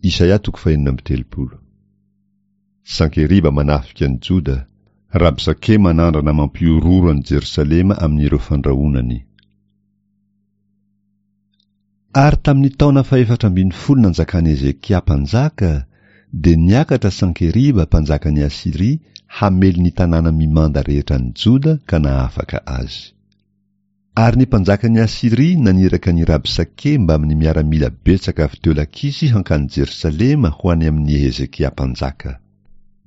Isaia toko fahenina amby telopolo. Sankeriba manafika an'i Joda, Rabsake manandrana mampihorohoro an'i Jerosalema amin'ireo fandrahonany. Ary tamin'ny taona fahefatra ambin'ny folo nanjakan'i Hezekia mpanjaka, dia niakatra Sankeriba mpanjakan'i Asyria hamely ny tanàna mimanda rehetra any Joda ka nahafaka azy. Ary ny mpanjakan'i Asyria naniraka an'i Rabsake mbamin'ny miaramila betsaka avy teo Lakisy hankany Jerosalema ho any amin'i Hezekia mpanjaka.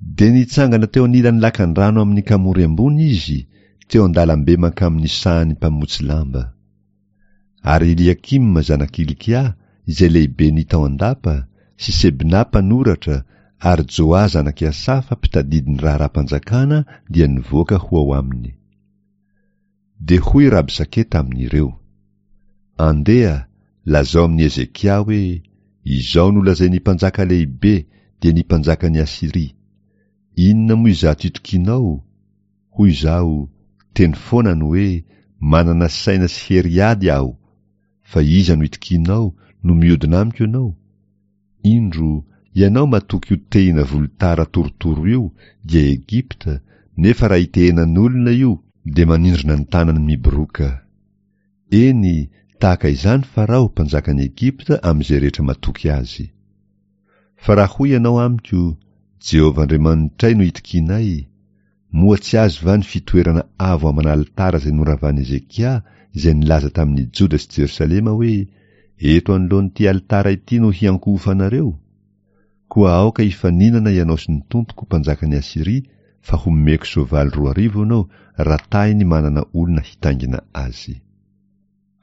Dia nitsangana teo anilan'ny lakandrano amin'ny kamory ambony izy, teo an-dalambe mankamin'ny sahan'ny mpamotsy lamba. Ary Eliakima zanak'i Hilkia, izay lehiben'ny tao an-dapa, sy Sebna mpanoratra, ary Joa zanak'i Asafa mpitadidy ny raharaham-panjakana dia nivoaka ho ao aminy. Dia hoy Rabsake tamin'ireo, Andeha, lazao amin'i Hezekia hoe, 'Izao no lazain'ny mpanjaka lehibe, dia ny mpanjakan'i Asyria, Inona moa izato itokianao? Hoy izaho, Teny foana ny hoe, 'Manana saina sy hery hiady aho. Fa iza no itokianao, no miodina amiko ianao? Indro, ianao matoky io tehina volotara torotoro io, dia Egypta, nefa raha itehenan'olona io, dia manindrona ny tanany miboroaka. Eny, tahaka izany Farao, mpanjakan'i Egypta, amin'izay rehetra matoky azy. Fa raha hoy ianao amiko, Jehovah Andriamanitray no itokianay, Moa tsy azy va ny fitoerana avo aman'alitara izay noravan'i Hezekia, izay nilaza tamin'i Joda sy Jerosalema hoe, Eto anoloan'ity alitara ity no hiankohofanareo? Koa aoka hifaninana ianao sy ny tompoko, mpanjakan'i Asyria, fa homeko soavaly 2000 ianao, raha tahiny manana olona hitaingina azy.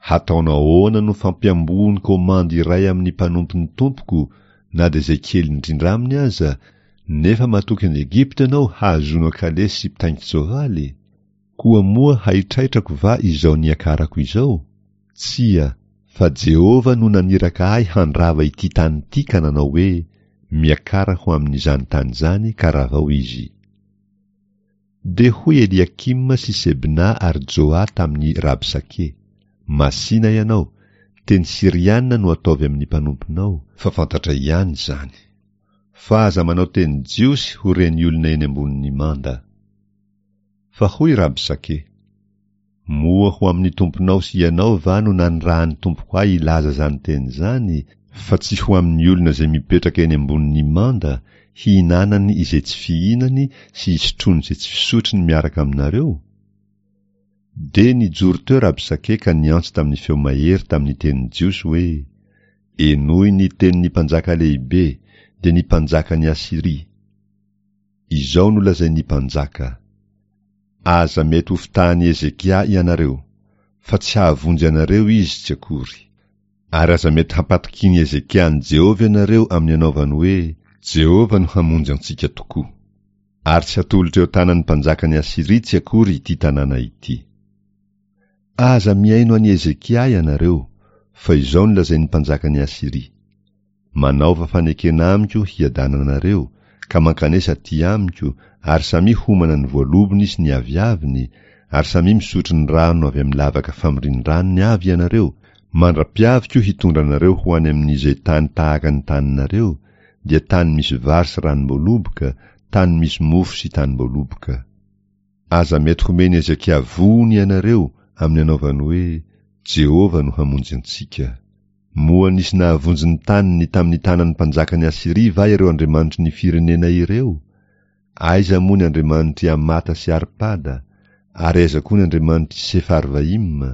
Hataonao ahoana no fampiamboho ny komandy iray amin'ny mpanompon'ny tompoko na dia izay kely indrindra aminy aza, nefa matoky an'i Egypta ianao hahazoanao kalesy sy mpitaingin-tsoavaly? Koa moa haitraitrako va izao niakarako izao? Tsia, fa Jehovah no naniraka ahy handrava ity tany ity ka nanao hoe, Miakara ho amin'izany tany izany ka ravao izy. Dia hoy Eliakima sy Sebna ary Joa tamin'i Rabsake, Masìna ianao, teny syriana no ataovy amin'ny mpanomponao, fa fantatray ihany izany. Fa aza manao teny jiosy ho ren'ny olona eny ambonin'ny manda. Fa hoy Rabsake, Moa ho amin'ny tomponao sy ianao va no nanirahan'ny tompoko ahy hilaza izany teny izany, fa tsy ho amin'ny olona izay mipetraka eny ambonin'ny manda, hihinanany izay tsy fihinany sy hisotroany izay tsy fisotrony miaraka aminareo? Dia nijoro teo Rabsake ka niantso tamin'ny feo mahery tamin'ny teny jiosy hoe, Henoy ny tenin'ny mpanjaka lehibe, dia ny mpanjakan'i Asyria. Izao no lazain'ny mpanjaka, Aza mety hofitahan'i Hezekia ianareo, fa tsy hahavonjy anareo izy tsy akory. Ary aza mety hampatokian'i Hezekia an'i Jehovah ianareo amin'ny anaovany hoe, Jehovah no hamonjy antsika tokoa. Ary tsy hatolotra eo an-tanan'ny mpanjakan'i Asyria tsy akory ity tanàna ity. Aza mihaino an'i Hezekia ianareo, fa izao no lazain'ny mpanjakan'i Asyria, Manaova fanekena amiko hiadananareo, ka mankanesa aty amiko, ary samia homana ny voalobony sy ny aviaviny, ary samia misotro ny rano avy amin'ny lavaka famorian-dranony avy ianareo, mandra-piaviko hitondra anareo ho any amin'izay tany tahaka ny taninareo, dia tany misy vary sy ranom-boaloboka, tany misy mofo sy tanim-boaloboka. Aza mety homen'i Hezekia vohony ianareo amin'ny anaovany hoe, Jehovah no hamonjy antsika. Moa nisy nahavonjy ny taniny tamin'ny tanan'ny mpanjakan'i Asyria va ireo andriamanitry ny firenena ireo? Aiza moa ny andriamanitr'i Hamata sy Arpada, ary aiza koa ny andriamanitr'i Sefarvaima?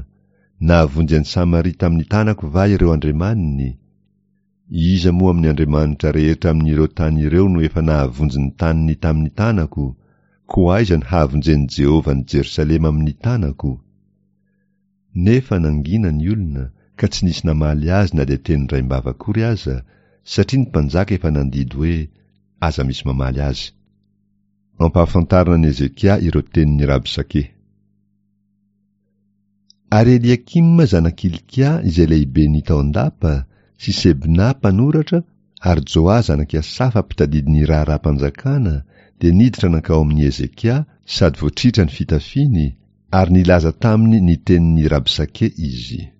Nahavonjy an'i Samaria tamin'ny tanako va ireo andriamaniny? Iza moa amin'ny andriamanitra rehetra amin'ireo tany ireo no efa nahavonjy ny taniny tamin'ny tanako? Koa aiza no hahavonjen'i Jehovah an'i Jerosalema amin'ny tanako? Nefa nangina ny olona, ka tsy nisy namaly azy na dia teny indraim-bava akory aza, satria ny mpanjaka efa nandidy hoe, Aza misy mamaly azy. Ampahafantarina an'i Hezekia ireo tenin'i Rabsake. Ary Eliakima zanak'i Hilkia izay lehiben'ny tao an-dapa, sy Sebna mpanoratra, ary Joa zanak'i Asafa mpitadidy ny raharaham-panjakana, dia niditra nankao amin'i Hezekia, sady voatritra ny fitafiany, ary nilaza taminy ny tenin'i Rabsake izy.